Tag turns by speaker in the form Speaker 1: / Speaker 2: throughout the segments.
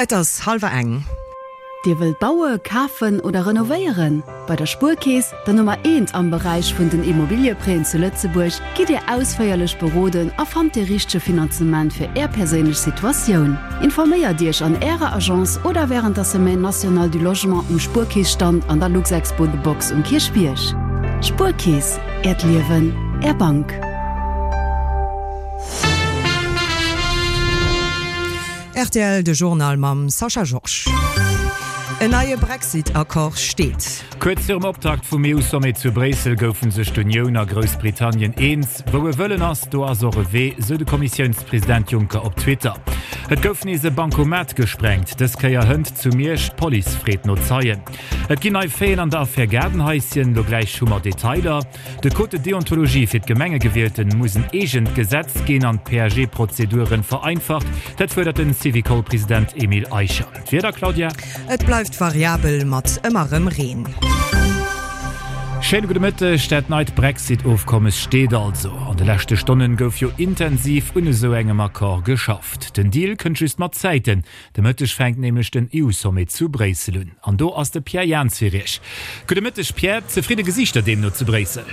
Speaker 1: Et ass hallwer eng.
Speaker 2: Dir wëllt baue, kafen oder renovéieren? Bei der Spuerkeess, der Nummer eent am Beräich vun den Immobilieprêten zu Lëtzebuerg, gitt Dir ausféierlech beroden a fannt dee richtege Finanzement fir Är perséinlech Situatioun. Informéiert Iech an Ärer Agence oder wärend der Semaine nationale du Logement um Spuerkeess-Stand an der Luxexpo The Box um Kierchbierg. Spuerkeess, Äert Liewen, Är Bank.
Speaker 1: Rtl, De Journal mam Sascha Georges. En neie Brexit-Accord steet.
Speaker 3: Kuerz virum Optakt vum EU-Sommet zu Bréissel goufe sech d'Unioun a Groussbritannien eens. Wou e Wëllen ass, do ass och e Wee, sou de Kommissiounspresident Juncker op Twitter. Et gouf nees e Bancomat gesprengt, dës Kéier hënt zu Miersch. D'Police freet no Zeien. Et ginn nei Faiten an der Affär Gaardenhaischen, lo gläich hu mer Detailer. De Code de déontologie fir d'Gemengegewielten muss en eegent Gesetz ginn an d'PAG-Prozeduren vereinfacht. Dat fuerdert den Syvicol-President Emile Eicher. D'Wieder, Claudia?
Speaker 1: Et bleift variabel mat ëmmer rëm Reen.
Speaker 3: Schéine gudde Mëtteg. Dat neit Brexit-Ofkommes steet also. An de leschte Stonnen gouf jo intensiv un esou engem Accord geschafft. Den Deal kënnt just mat Zäiten. De Mëtteg fänkt nämlech den EU-Sommet zu Bréissel un. An do ass de Pierre Jans fir Iech. Gudde Mëtteg Pierre, zefridde Gesiichter deemno zu Bréissel?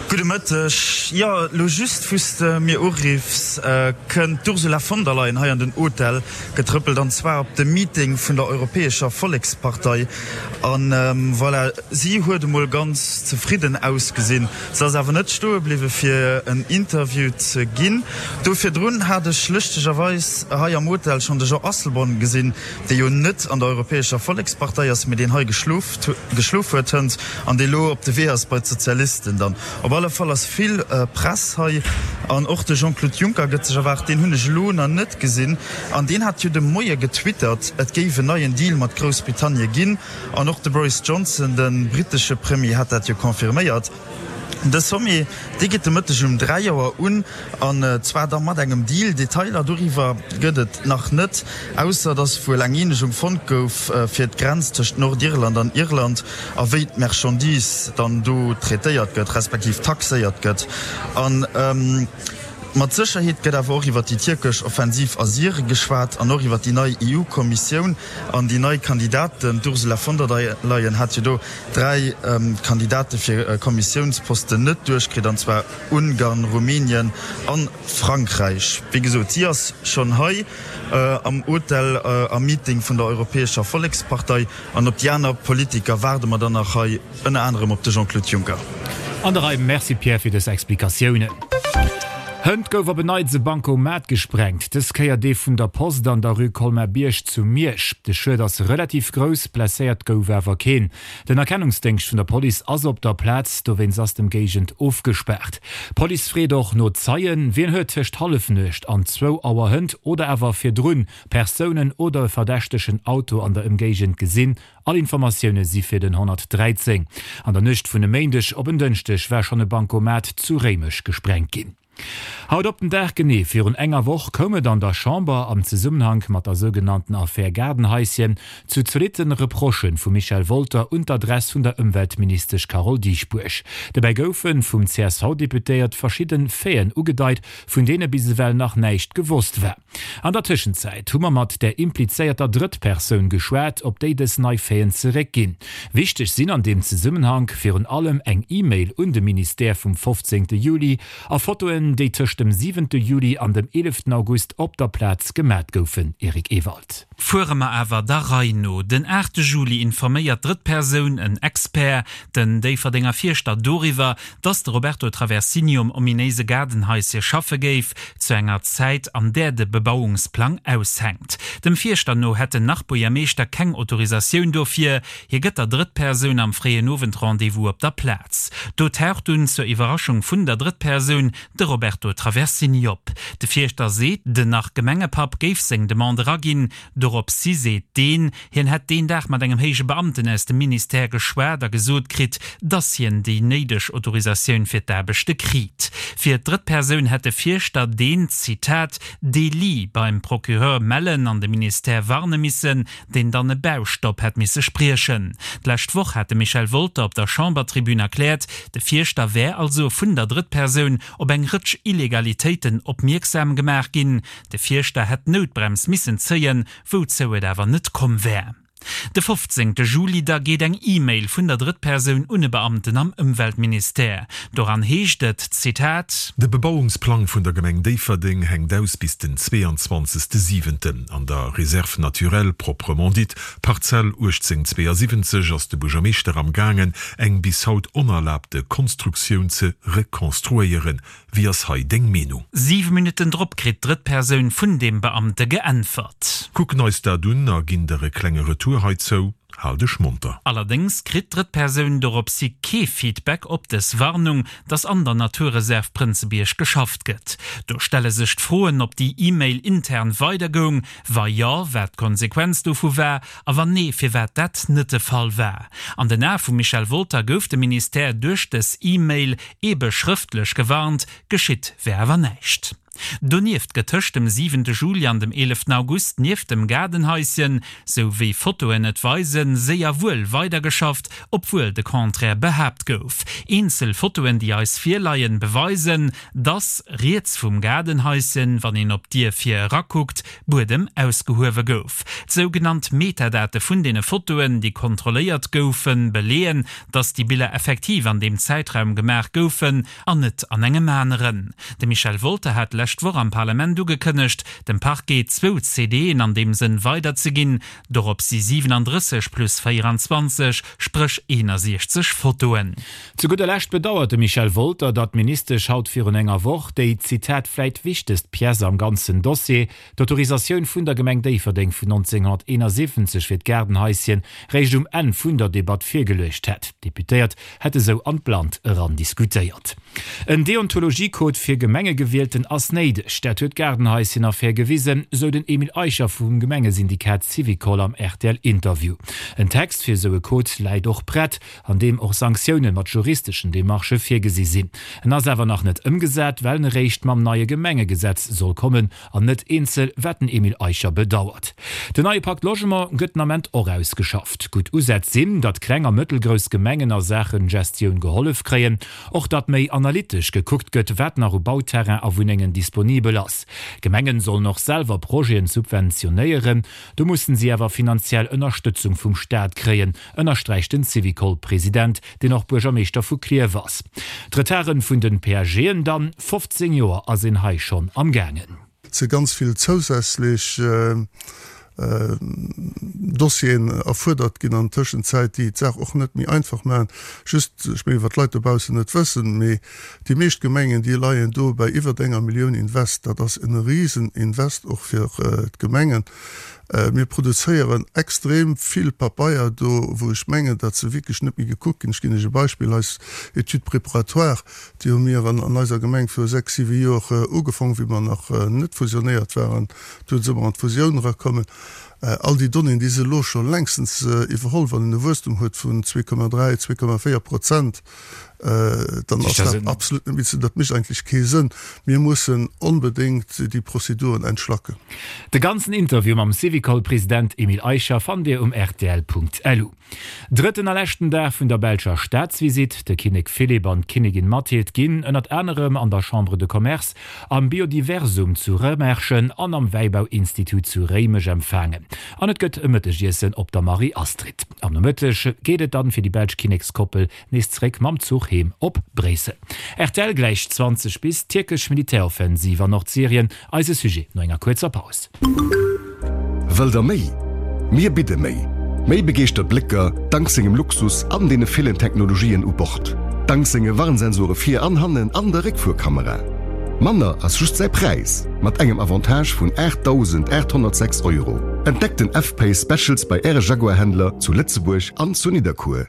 Speaker 4: Gudde Mëtteg. Jo, elo just wou s de mir uriffs, kënnt d'Ursula von der Leyen hei an den Hotel getrëppelt, an zwar op de Meeting vun der Europäescher Vollekspartei. An voilà, si huet emol ganz zefridden ausgesinn. Se ass awer net stoe bliwwe fir en Interview ze ginn. Do virdrun hat ech lëschtegerweis hei am Hotel schonn de Jean Asselborn gesinn, dee jo net an der Europäescher Vollekspartei ass, mee deen hei geschlof huet hënt an dee lo op de Wee ass bei d'Sozialisten dann. Op alle Fall ass vill Press hei an och de Jean-Claude Juncker gëtt sech erwaart. Deen hunn ech elo nach net gesinn an deen hat jo de Moie getwittert, et géif en neien Deal mat Groussbritannie ginn. An och de Boris Johnson, de brittesche Premier, hat dat jo confirméiert. De Sommet, dee geet de Mëtteg um 3 Auer un, an zwar da mat engem Deal. Detailer doriwwer gëtt et nach net, ausser datt wuel eng Eenegung fonnt gouf fir d'Grenz tëscht Nordirland an Irland a wéi d'Merchandise dann do traitéiert gëtt, respektiv taxéiert gëtt. An mat Sécherheet gëtt awer och iwwer déi tierkesch Offensiv a Syrie geschwat an och iwwer déi nei EU-Kommissioun. An déi nei Kandidaten, d'Ursula von der Leyen hat jo do 3 Kandidate fir Kommissiounsposten net duerchkritt, an zwar Ungarn, Rumänien a Frankräich. Wéi gesot, si ass schonn hei am Hotel am Meeting vun der Europäescher Vollekspartei. An op déi aner Politiker waarde mer dann nach hei. Ënner anerem op de Jean-Claude Juncker.
Speaker 3: An der Rei. Merci Pierre fir dës Explikatiounen. Hënt gouf op en Neits e Bancomat gesprengt, dës Kéier dee vun der Post an der Rue Colmar-Bierg zu Miersch. De Schued ass relativ grouss, blesséiert gouf awer keen. Den Erkennungsdéngscht vun der Police ass op der Plaz, dowéinst ass d'Emgéigend ofgespaart. D'Police freet och no Zeien. Wien huet tëscht Hallefnuecht an zwou Auer hënt oder awer virdrun Persounen oder e verdächtegen Auto an der Emgéigend gesinn? All Informatioune si fir den 113. An der Nuecht vun e Méindeg op en Dënschdeg war schonn e Bancomat zu Réimech gesprengt ginn. Haut op den Dag genee virun enger Woch koum et an der Chamber am Zesummenhank mat der sougenannten Affär Gaardenhaischen zu zolitte Reprochë vum Michel Wolter un d'Adress vun der Ëmweltministesch Carole Dieschbourg. Dobäi goufe vum CSV-Deputéiert verschidde Faiten ugedeit, vun deene bis ewell nach näischt gewosst war. An der Tëschenzäit hu mer mat där implizéierter Drëttpersoun geschwat, op déi dës nei Faiten zeréckginn. Wichteg sinn an deem Zesummenhank virun allem eng E-Mail un de Ministère vum 15. Juli a Fotoen, déi tëscht dem 7. Juli an dem 11. August op der Plaz gemat goufen. Eric Ewald.
Speaker 5: Fuere mer awer der Rei no. Den 8 Juli informéiert d'Drëttpersoun, en Expert, den Déifferdenger Fierschter doriwwer, dass de Roberto Traversini um ominéise Gaardenhaische schaffe géif, zu enger Zäit, an där de Bebauungsplang aushänkt. Dem Fierschter no hätt den Nach-Buergermeeschter keng Autorisatioun dofir. Hie gëtt der Drëttpersoun am fréien Owend Rendez-vous op der Plaz. Do taucht dunn, zur Iwwerraschung vun der Drëttpersoun, de Roberto Traversini op. De Fierschter seet, den Nach-Gemengepapp géif seng Demande eraginn. Doropshi seet deen, Hien hätt deen Dag mat engem héije Beamten aus dem Ministère geschwat a gesot kritt, dass hien déi néideg Autorisatioun fir d'Aarbechte kriit. Fir d'drëtt Persoun hätt de Fierschter deen, Zitat, Délit beim Procureur mellen an de Ministère warne missen, deen dann e Baustopp hätt misse spriechen. D'lescht Woch hat de Michel Wolter op der Chambertribün erkläert, de Fierschter wär also vun der Drëttpersoun op eng Rëtsch Illegalitéiten. Illegalitéiten opmierksam gemaach ginn. De Fierschter hätt d'Noutbrems missen zéien, wouzou et awer net komm wär. De 15 Juli da geet eng E-Mail vun der Drëttpersoun un e Beamten am Ëmweltministère. Doran heescht et, Zitat.
Speaker 6: De Bebauungsplang vun der Gemeng Déifferdeng hänkt aus bis den 22 siwenten. An der Réserve naturelle proprement dite, Parzell 1872, ass de Buergermeeschter am gaangen eng bis haut onerlaabte Konstruktioun ze rekonstruéieren. Wéi ass hei deng Meenung?
Speaker 5: Siwe Minutten drop kritt d'Drëttpersoun vun deem Beamte geäntwert.
Speaker 6: Kucken eis dat un a ginn der e klenge Retour heizou. Hal dech monter.
Speaker 5: Allerdéngs kritt d'Drëttpersoun doropshi kee Feedback op dës Warnung, dass an der Naturreserv Prënzebierg geschafft gëtt. Do stelle sech d'Froen, ob déi E-Mail intern weidergoung, wa jo, wat d'Konsequenz dovu war a wann nee, firwat dat net de Fall war. An den Ae vum Michel Wolter gouf de Ministère duerch dës E-Mail Ebe schrëftlech gewarnt, geschitt wär awer näischt. Donieft gëtt tëscht dem siwente Juli an dem eeleften August nieft dem Gaardenhaischen, sou wéi Fotoen et weisen, séier wuel weidergeschafft, obwuel de Contraire behaapt gouf. Eenzel Fotoen, déi eis virleien, beweisen, dass riets vum Gaardenhaischen, wann een op d'Dier vir erakuckt, Buedem ausgehuewe gouf. D'sougenannt Metadate vun deene Fotoen, déi kontrolléiert goufen, beleeën, dass déi Biller effektiv an deem Zäitraum gemaach goufen an net an engem aneren. De Michel Wolter hat d'lescht Woch am Parlament ugekënnegt, dem Parquet zwou CDen an deem Sënn weiderzeginn. Dorop si 37 plus 24, spréch 61 Fotoen.
Speaker 3: Zu gudder Lescht bedauert de Michel Wolter, datt d'Ministesch haut virun enger Woch déi, Zitat, vläit wichtegst Pièce am ganzen Dossier, d'Autorisatioun vun der Gemeng Déifferdeng vun 1971 fir d'Gaardenhaisschen, réischt um Enn vun der Debatt virgeluecht hätt. D'Deputéiert hätte sou an d'Blannt eran diskutéiert. En Deontologiecode fir Gemengegewielten ass néideg, dat huet d'Gaardenhaisschen-Affär gewisen, sou den Emile Eicher vum Gemengesyndikat Syvicol am RTL-Interview. En Text fir esou e Code läit och prett, an deem och Sanktioune mat juristeschen Demarchë virgesi sinn. En ass awer nach net ëmgesat, well en eréischt mam neie Gemengegesetz soll kommen an net eenzel, wat den Emile Eicher bedauert. Den neie Pakt Logement gëtt den Ament och ausgeschafft. Gutt Usätz sinn, datt kleng a mëttelgrouss Gemengen a Saachen Gestioun gehollef kréien, och datt méi analytesch gekuckt gëtt, wat nach u Bauterrain a Wunnengen disponibel ass. Gemengen sollen och selwer Projeten subventionéieren, do mussen si awer finanziell Ënnerstëtzung vum Staat kréien, ënnersträicht den Syvicol-President, deen och Buergermeeschter vu Klierf ass. D'Retarden vun den PAGen dann, 15 Joer ass een hei schonn am gaangen.
Speaker 7: Et si ganz vill zousätzlech Dossieren erfuerdert ginn an Tëschenzäit, déi d'Saach och net méi einfach maachen. Just, ech mengen, wat d'Leit dobaussen net wëssen, mee déi meescht Gemengen, déi leien do bei iwwert enger Millioun Invest. Dat ass en Riseninvest och fir d'Gemengen. Mir produzéieren extrem vill Papeier do, wou ech mengen, datt se wierklech net méi gekuckt ginn. Ech ginn Iech e Beispill, Eis Étude préparatoire, déi hu mir an eiser Gemeng viru sechs, siwe Joer ugefaangen, wéi mer nach net fusionéiert waren. Du si mer an d'Fusioun erakommen. All déi Donnéeën, déi si elo scho längstens iwwerholl. Wann een e Wuesstum huet vun 2,3, 2,4 Prozent, dann ass dat absolut net méi ze, dat mécht eigentlech kee Sënn. Mir mussen onbedéngt déi Prozeduren entschlacken.
Speaker 3: De ganzen Interview mam Syvicol-President Emile Eicher fannt Dir um rtl.lu. Drëtten a leschten Dag vun der belscher Staatsvisitt, De Kinnek Philippe an d'Kinnigin Mathilde ginn ënnert anerem an der Chambre de Commerce, am Biodiversum zu Rëmerschen an am Wäibauinstitut zu Réimech empfaangen. An et gëtt e Mëttegiessen op der Marie-Astrid. Am Nomëtteg geet et dann fir déi belsch Kinnekskoppel Nees zeréck mam Zuch heem op Bréissel. Rtl gläich 20 bis, Tierkesch Militäroffensiv an Nordsyrien, eise Sujet no enger kuerzer Paus.
Speaker 6: Wëllt der méi? Mir bidde méi! Méi begeeschtert Blécker dank sengem Luxus an deene villen Technologien u Bord, dank senge Warnsensore vir an hannen an der Réckfuerkamera. Manner ass just säi Präis, mat engem Avantage vun 8.806 Euro. Entdeckt den F-Pace Specials bei Äre Jaguar-Händler zu Lëtzebuerg an zu Nidderkuer.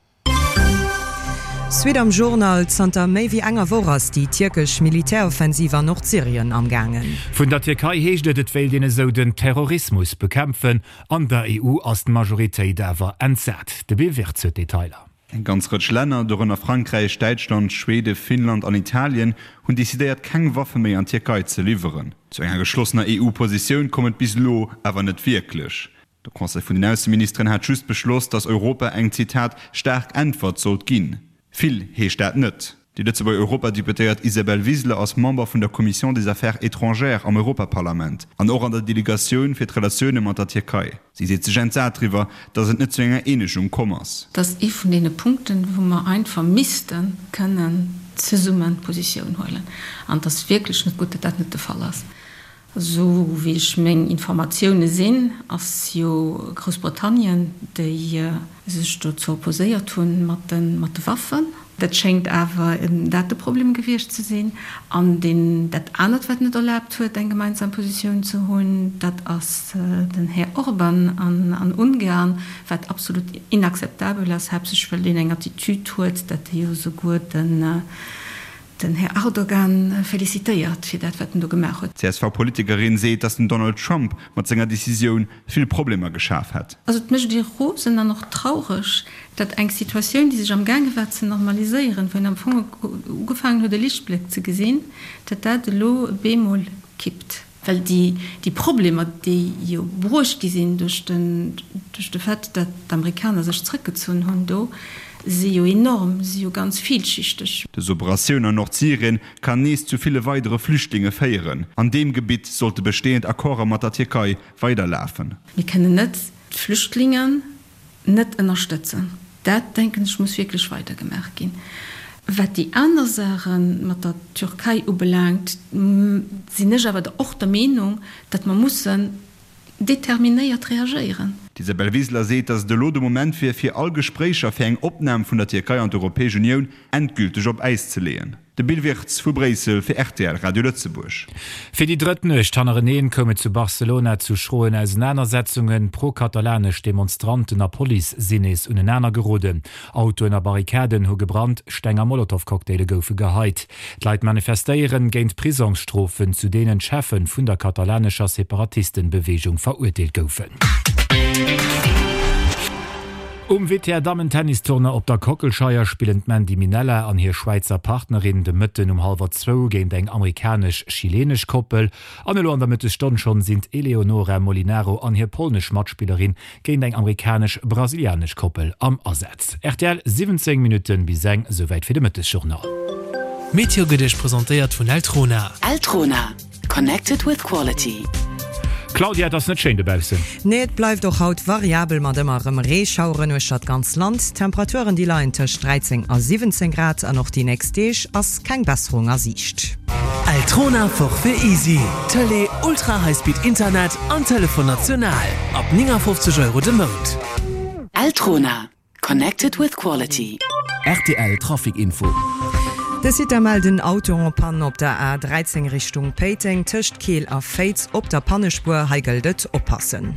Speaker 1: Suite am Journal, Zanter méi wéi enger Woch ass déi tierkesch Militäroffensiv an Nordsyrien am gaangen.
Speaker 3: Vun der Tierkei heescht et, et wéilt een esou den Terrorismus bekämpfen. An der EU ass d'Majoritéit awer entsat. De Bill Wirtz huet d'Detailer.
Speaker 8: Eng ganz Rëtsch Länner, dorënner Frankräich, Däitschland, Schwede, Finnland an Italien, hunn decidéiert keng Waffe méi an d'Tierkei ze liwweren. Zu enger geschlossener EU-Positioun koum et bis elo awer net wierklech. De Conseil vun den Ausseministeren hat just beschloss, datt Europa eng, Zitat, staark Äntwert sollt ginn. Vill heescht dat net. Déi Lëtzebuerger Europadeputéiert Isabel Wiseler ass Member vun der Commission des Affaires étrangères am Europaparlament an och an der Delegatioun fir d'Relatioune mat der Tierkei. Si seet sech entsat driwwer, datt et net zu enger Eenegung komm ass.
Speaker 9: Dat ass ee vun deene Punkten, wou mer einfach misste kënnen zesumme Positioun huelen. An et ass wierklech net gutt, datt dat net de Fall ass. Esou wéi ech meng Informatioune sinn, ass jo Groussbritannien, déi sech dozou opposéiert hunn mat de Waffen. Dat schéngt awer dat de Problem gewiescht ze sinn. An deen dat anert, wat net erlaabt huet, eng gemeinsam Positioun ze hunn, dat ass den Här Orban an Ungarn, wat absolut inakzeptabel ass, haaptsächlech well deen eng Attitude huet, dat e jo souguer den Den Här Erdogan felicitéiert fir dat, wat en do gemaach huet.
Speaker 8: D'CSV-Politikerin seet, datt den Donald Trump mat senger Decisioun vill Problemer geschaf hätt.
Speaker 9: Also et mécht ee rosen an och traureg, datt eng Situatioun, déi sech am gaange war ze normaliséieren, wou een am Fong ugefaangen huet e Lichtbléck ze gesinn, datt dat elo bemol kippt. Well déi Problemer, déi jo bruecht gi sinn duerch de Fait, datt d'Amerikaner sech zrëckgezunn hunn do, si jo enorm, si jo ganz villschichteg.
Speaker 8: Dës Operatioun an Nordsyrien kann nees zu ville weidere Flüchtlinge féieren. An deem Gebitt sollte bestehend Accorde mat der Tierkei weiderlafen.
Speaker 9: Mir kënnen net d'Flüchtlingen net ënnerstëtzen. Dat, denken ech, muss wierklech weidergemaach ginn. Wat déi aner Saache mat der Türkei ubelaangt, sinn ech awer och der Meenung, datt mer mussen determinéiert reagéieren.
Speaker 8: D'Isabel Wiseler seet, datt et elo de Moment wier, fir all Gespréicher fir eng Opnam vun der Tierkei an d'Europäesch Unioun endgülteg op Äis ze leeën. De Bill Wirtz vu Bréissel fir rtl Radio Lëtzebuerg.
Speaker 3: Fir déi drëtt Nuecht hannereneen koum et zu Barcelona zu schroen Ausenanersetzungen. Pro-katalanesch Demonstranten a Police sinn nees unenaner geroden. Autoen a Barrikaden hu gebrannt, Steng a Molotowcocktaile goufe geheit. D'Leit manifestéieren géint Prisongsstrofen, zu deenen d'Cheffe vun der katalanescher Separatistenbeweegung verurteelt goufen. Um WTA Dammen-Tennistournoi op der Kockelscheier spillen d'Mandy Minella an hir Schwäizer Partnerin de Mëtten um hallwer zwou géint eng amerikanesch-chilenesch Koppel. An elo an der Mëttesstonn schonn sinn d'Eleonora Molinaro an hir polnesch Matspillerin géint eng amerikanesch-brasilianesch Koppel am Asaz. Rtl, 17 Minutten bis eng, souwäit fir de Mëttesjournal.
Speaker 5: D'Meteo gëtt Iech presentéiert vun Eltrona.
Speaker 2: Eltrona. Connected with quality.
Speaker 3: Claudia, et ass net schéin dobaussen.
Speaker 1: Nee, et bleift och haut variabel mat ëmmer erëm Reeschaueren uechter d'ganz Land. D'Temperaturen déi leien tëscht 13 a 17 Grad an och déi nächst Deeg ass keng Besserung a Siicht.
Speaker 10: Eltrona Forfait Easy, Tëlee, Ultra High Speed Internet an Telefon national ab 59 Euro de Mount.
Speaker 2: Eltrona. Connected with quality.
Speaker 10: Rtl Trafic Info.
Speaker 1: De Sitter mellt en Auto en panne op der A 13 Richtung Péiteng tëscht Keel a Féiz op der Pannespuer. Hei gëllt et oppassen.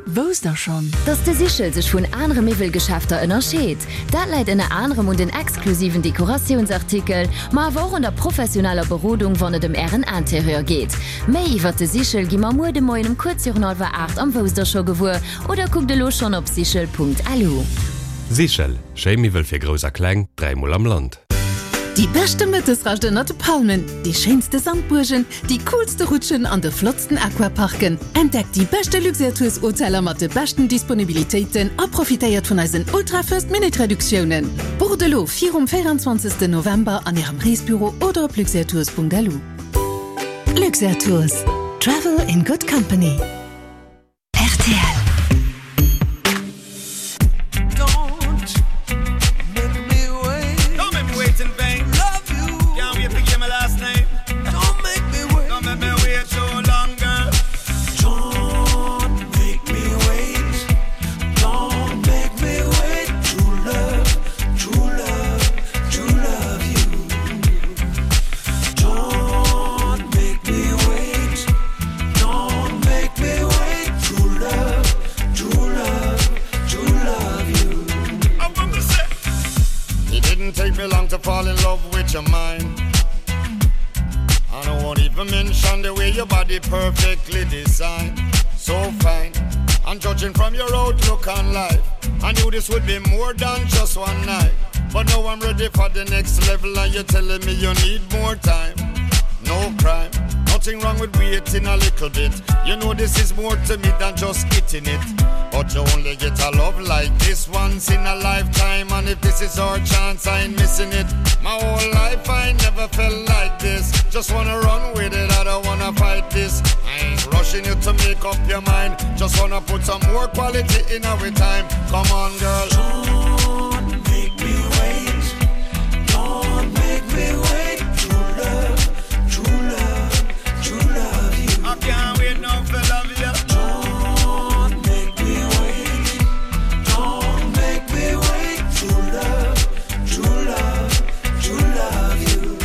Speaker 2: Wousst der schonn, dass de Sichel sech vun anere Miwwelgeschäfter ënnerscheet? Dat läit ënner anerem un den exklusiven Dekoratiounsartikel, ma awer och un der professioneller Berodung, wann et ëm Ären Interieur geet. Méi iwwert de Sichel gi mer muer de Moien um kuerz virun hallwer 8 am Wousst der scho gewuer. Oder kuckt elo schonn op sichel.lu.
Speaker 6: Sichel, schéi Miwwel fir Grouss a Kleng, dräimol am Land.
Speaker 11: Déi beschte Mëttesrascht ënnert de Palmen, déi schéinste Sandbuergen, déi coolste Rutschen an de flottsten Aquaparken. Entdeckt déi beschte Luxair Tours Hoteller mat de beschten Disponibilitéiten a profitéiert vun eisen ultra First Minute Reduktiounen. Bucht elo virum 24 November an Ärem Reesbüro oder op luxairtours.lu. Luxair Tours, Travel in good company.
Speaker 2: Rtl.
Speaker 12: It didn't take me long to fall in love with your mind. I don't want even mention the way your body perfectly designed. So fine. And judging from your outlook on life, I knew this would be more than just one night. But now I'm ready for the next level, and you're telling me you need more time. No crime. Nothing wrong with waiting a little bit. You know this is more to me than just hitting it. But you only get a love like this once in a lifetime. And if this is our chance, I ain't missing it. My whole life I never felt like this. Just wanna run with it, I don't wanna fight this. I ain't rushing you to make up your mind. Just wanna put some more quality in our time. Come on, girl.
Speaker 13: Don't make me wait. Don't make me wait. True love, true love, true love you.
Speaker 12: I can't wait now for love you.
Speaker 13: Don't make me wait. Don't make me wait. True love, true love, true love you.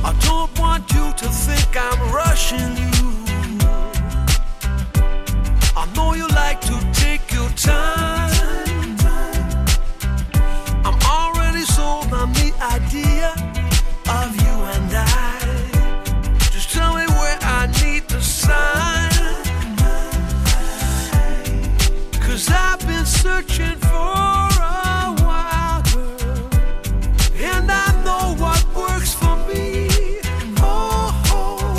Speaker 13: I don't want you to think I'm rushing you. I know you like to take your time. I'm already sold on the idea of you and I. Just tell me where I need to sign. Cause I've been searching for a while, girl. And I know what works for me. Oh, oh.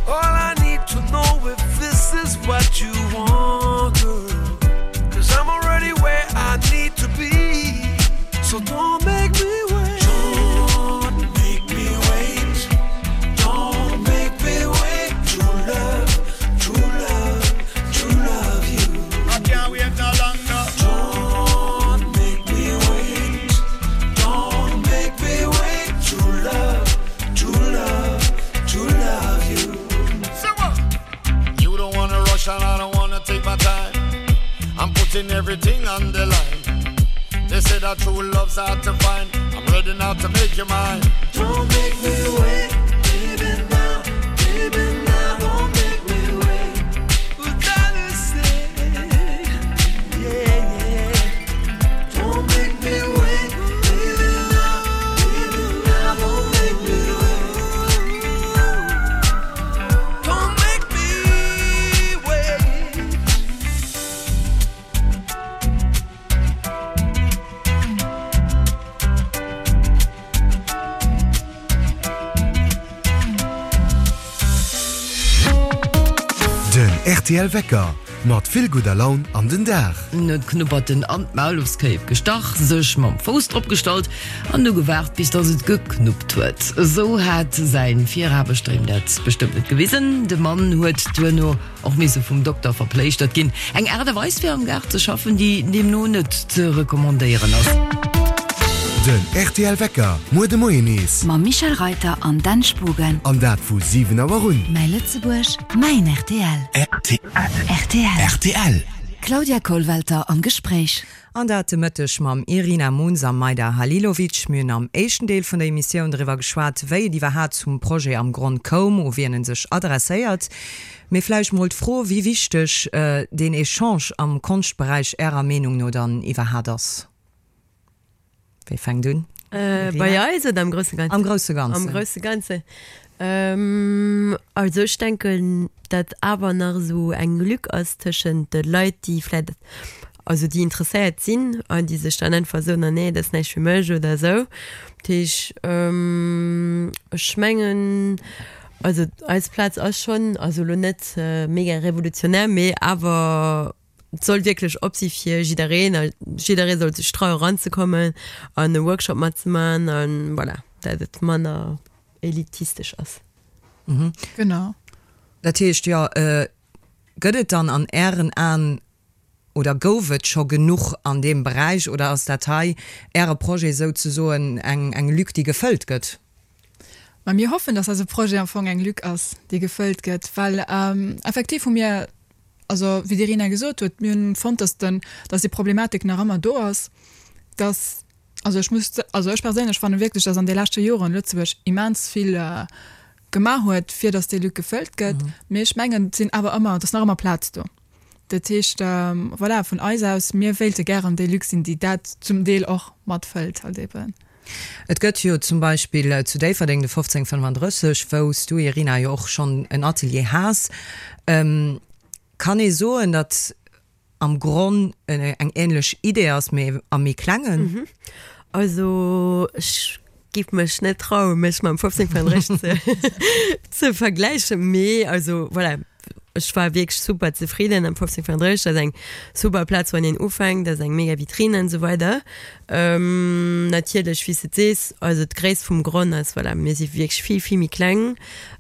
Speaker 13: All I need to know if this is what you want, girl. Cause I'm already where I need to be. So don't make me wait. Don't make me wait. Don't make me wait. True love, true love, true love you.
Speaker 12: I can't wait no longer.
Speaker 13: Don't make me wait. Don't make me wait. True love, true love, true love you.
Speaker 12: So what? You don't wanna rush and I don't wanna take my time. I'm putting everything on the line. They say that true love's hard to find. I'm ready now to make you mine.
Speaker 13: Don't make me wait, baby now, baby now. Don't make me wait. But that is it, yeah, yeah. Don't make me wait, baby now, baby now. Don't make me wait. Don't make me wait.
Speaker 6: Den rtl Wecker mat vill gudder Laun an den Dag.
Speaker 14: En huet d'Knupperten an d'Maulufskéip gestach, sech mam Fouss drop gestallt an du gewaart, bis dass et geknuppt huet. Esou hat säin Viraarbechter him dat bestëmmt net gewisen. De Mann huet duerno Och misse vum Dokter verpléischtert ginn. Eng Aart a Weis fir am Gaart ze schaffen, déi deemno net ze recommandéieren ass.
Speaker 6: Den rtl Wecker, muer de Moien nees.
Speaker 2: Mam Michel Reiter an Dan Spogen.
Speaker 6: An dat vu 7 Auer un.
Speaker 2: Mäi Lëtzebuerg, mäin rtl. Rtl.
Speaker 6: Rtl.
Speaker 2: Claudia Kollwelter am Gespréich.
Speaker 1: An dat de Mëtteg mam Irina Munz a Majda Halilovic. Mir hunn am éischten Deel vun der Emissioun driwwer geschwat, wéi et iwwerhaat zum Projet am Gronn koum, u wien en sech adresséiert. Mee vläicht mol d'Fro, wéi wichteg deen Echange am Konschtberäich Ärer Meenung no dann iwwerhaat ass. Wie fänkt un?
Speaker 15: Irina? Bei eis oder am grousse Ganzen?
Speaker 1: Am grousse Ganzen.
Speaker 15: Am grousse Ganzen. Also ech denken, datt awer nach esou eng Lück ass tëschent de Leit, déi vläicht, also déi interesséiert sinn an déi sech dann einfach soen, ah nee, dat ass näischt fir mech oder esou. Dat heesch, ech mengen, also eis Plaz ass schonn, also elo net mega revolutionär, mee awer et soll wierklech op si fir jiddereen a jidderee soll sech traue eranzekommen an e Workshop matzemaachen a voilà, dat et manner elitistesch ass.
Speaker 16: Genau.
Speaker 1: Dat heescht, jo, gëtt et dann an Ären Aen oder gouf et scho genuch an deem Beräich oder ass dat hei, Äre Projet souzesoen, eng eng Lück, déi gefëllt gëtt?
Speaker 16: Ma mir hoffen, dass eise Projet am Fong eng Lück ass, déi gefëllt gëtt, well effektiv hu mir, also wéi d'Irina gesot huet, mir hunn fonnt, dass den, dass déi Problematik nach ëmmer do ass, dass, also ech muss, also ech perséinlech fanne wierklech, dass an de leschte Joren Lëtzebuerg immens vill gemaach huet, fir dass déi Lück gefëllt gëtt, mee ech mengen, et sinn awer ëmmer, et ass nach ëmmer Plaz do. Dat heescht, voilà, vun eis aus, mir wéilte gären déi Lück sinn, déi dat zum Deel och matfëllt halt eben.
Speaker 1: Et gëtt jo zum Beispill zu Déifferdeng de 1535, wou s du, Irina, jo och schonn en Atelier has. Kann ee soen, datt am Gronn eng änlech Idee ass, mee am méi klengen?
Speaker 15: Also ech. giff mech net trauen, mech mam 1535 ze, ze vergläichen, mee also voilà, ech war wierklech super zefridden am 1535, dat ass eng super Plaz wann een ufänkt, dat ass eng mega Vitrine an esou weider. Natierlech wéi s de et sees, also d'Gréisst vum Gronn ass, voilà, mir si wierklech vill, vill méi kleng.